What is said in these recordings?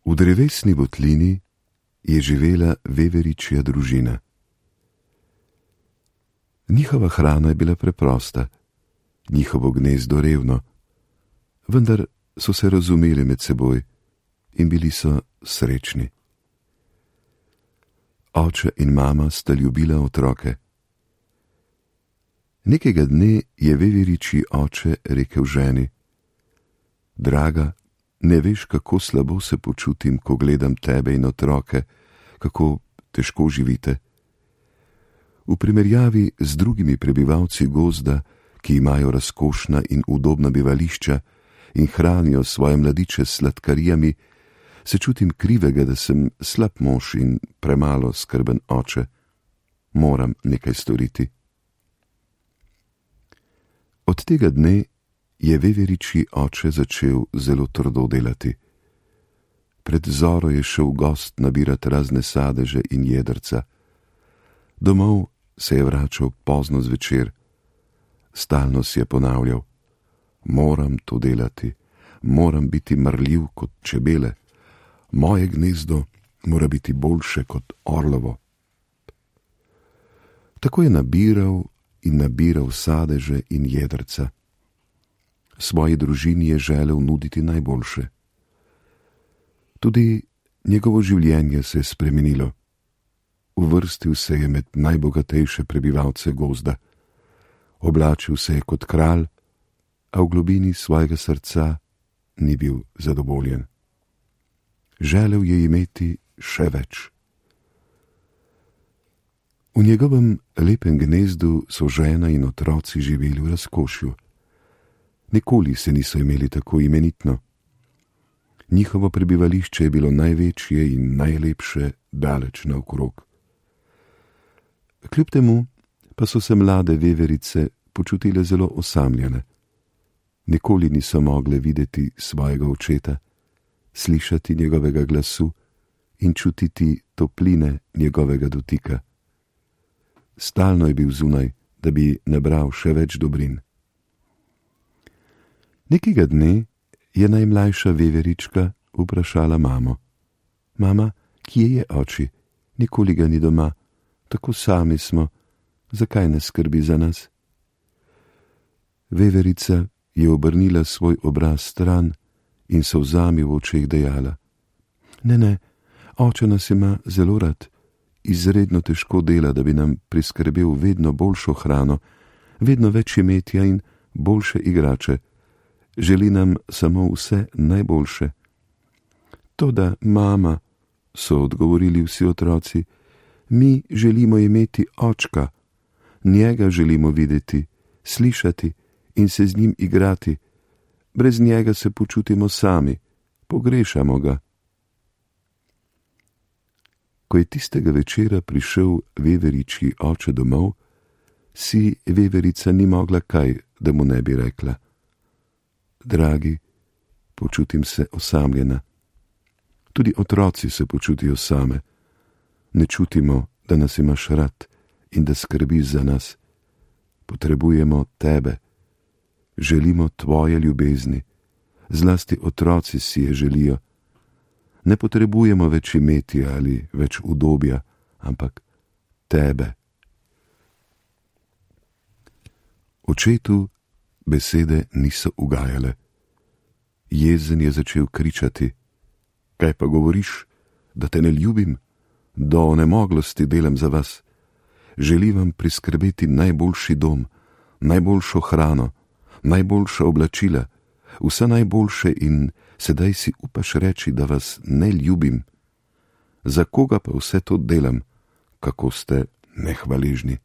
V drevesni votlini je živela veveričja družina. Njihova hrana je bila preprosta, njihovo gnezdo revno, vendar so se razumeli med seboj in bili so srečni. Oče in mama sta ljubila otroke. Nekega dne je veveričji oče rekel ženi: Draga, ne veš, kako slabo se počutim, ko gledam tebe in otroke, kako težko živite. V primerjavi z drugimi prebivalci gozda, ki imajo razkošna in udobna bivališča in hranijo svoje mladiče s sladkarijami, se čutim krivega, da sem slab mož in premalo skrben oče. Moram nekaj storiti. Od tega dne je veveričji oče začel zelo trdo delati. Pred zoro je šel gost nabirat razne sadeže in jedrca. Domov se je vračal pozno zvečer. Stalno si je ponavljal: moram to delati, moram biti marljiv kot čebele, moje gnezdo mora biti boljše kot orlovo. Tako je nabiral in nabiral sadeže in jedrca. Svoji družini je želel nuditi najboljše. Tudi njegovo življenje se je spremenilo. Uvrstil se je med najbogatejše prebivalce gozda. Oblačil se je kot kralj, a v globini svojega srca ni bil zadovoljen. Želel je imeti še več. V njegovem lepem gnezdu so žena in otroci živeli v razkošju. Nikoli se niso imeli tako imenitno. Njihovo prebivališče je bilo največje in najlepše daleč naokrog. Kljub temu pa so se mlade veverice počutile zelo osamljene. Nikoli niso mogle videti svojega očeta, slišati njegovega glasu in čutiti topline njegovega dotika. Stalno je bil zunaj, da bi nabral še več dobrin. Nekega dne je najmlajša veverička vprašala mamo: Mama, kje je oči? Nikoli ga ni doma, tako sami smo, zakaj ne skrbi za nas? Veverica je obrnila svoj obraz stran in solzami v očeh dejala: Ne, oče nas ima zelo rad, izredno težko dela, da bi nam priskrbel vedno boljšo hrano, vedno več imetja in boljše igrače. Želi nam samo vse najboljše. Toda, mama, so odgovorili vsi otroci, mi želimo imeti očka, njega želimo videti, slišati in se z njim igrati. Brez njega se počutimo sami, pogrešamo ga. Ko je tistega večera prišel veveričji oče domov, si veverica ni mogla kaj, da mu ne bi rekla: Dragi, počutim se osamljena. Tudi otroci se počutijo same. Ne čutimo, da nas imaš rad in da skrbiš za nas. Potrebujemo tebe. Želimo tvoje ljubezni. Zlasti otroci si je želijo. Ne potrebujemo več imetja ali več udobja, ampak tebe. Očetu besede niso ugajale. Jezen je začel kričati: Kaj pa govoriš, da te ne ljubim? Do onemoglosti delam za vas. Želim vam priskrbeti najboljši dom, najboljšo hrano, najboljša oblačila, vse najboljše in sedaj si upaš reči, da vas ne ljubim. Za koga pa vse to delam, kako ste nehvaležni?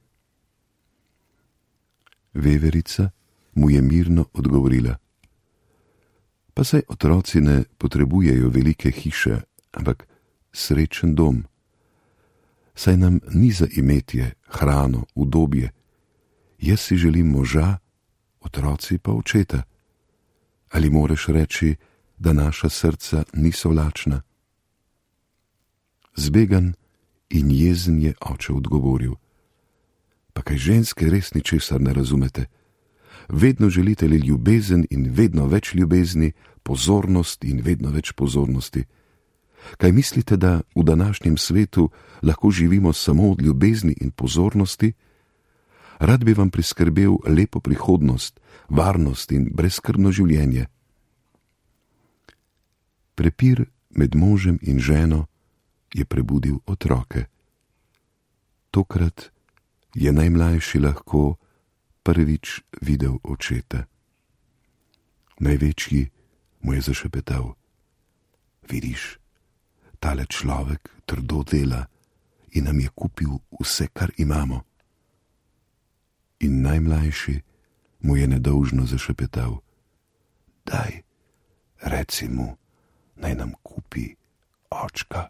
Veverica mu je mirno odgovorila: Pa saj otroci ne potrebujejo velike hiše, ampak srečen dom. Saj nam ni za imetje, hrano, udobje. Jaz si želim moža, otroci pa očeta. Ali moreš reči, da naša srca niso lačna? Zbegan in jezen je oče odgovoril: Pa kaj ženske res ničesar ne razumete? Vedno želite le ljubezen in vedno več ljubezni, pozornost in vedno več pozornosti. Kaj mislite, da v današnjem svetu lahko živimo samo od ljubezni in pozornosti? Rad bi vam priskrbel lepo prihodnost, varnost in brezskrbno življenje. Prepir med možem in ženo je prebudil otroke. Tokrat je najmlajši lahko prvič videl očeta. Največji mu je zašepetal: vidiš, tale človek trdo dela in nam je kupil vse, kar imamo. In najmlajši mu je nedolžno zašepetal: daj, reci mu, naj nam kupi očka.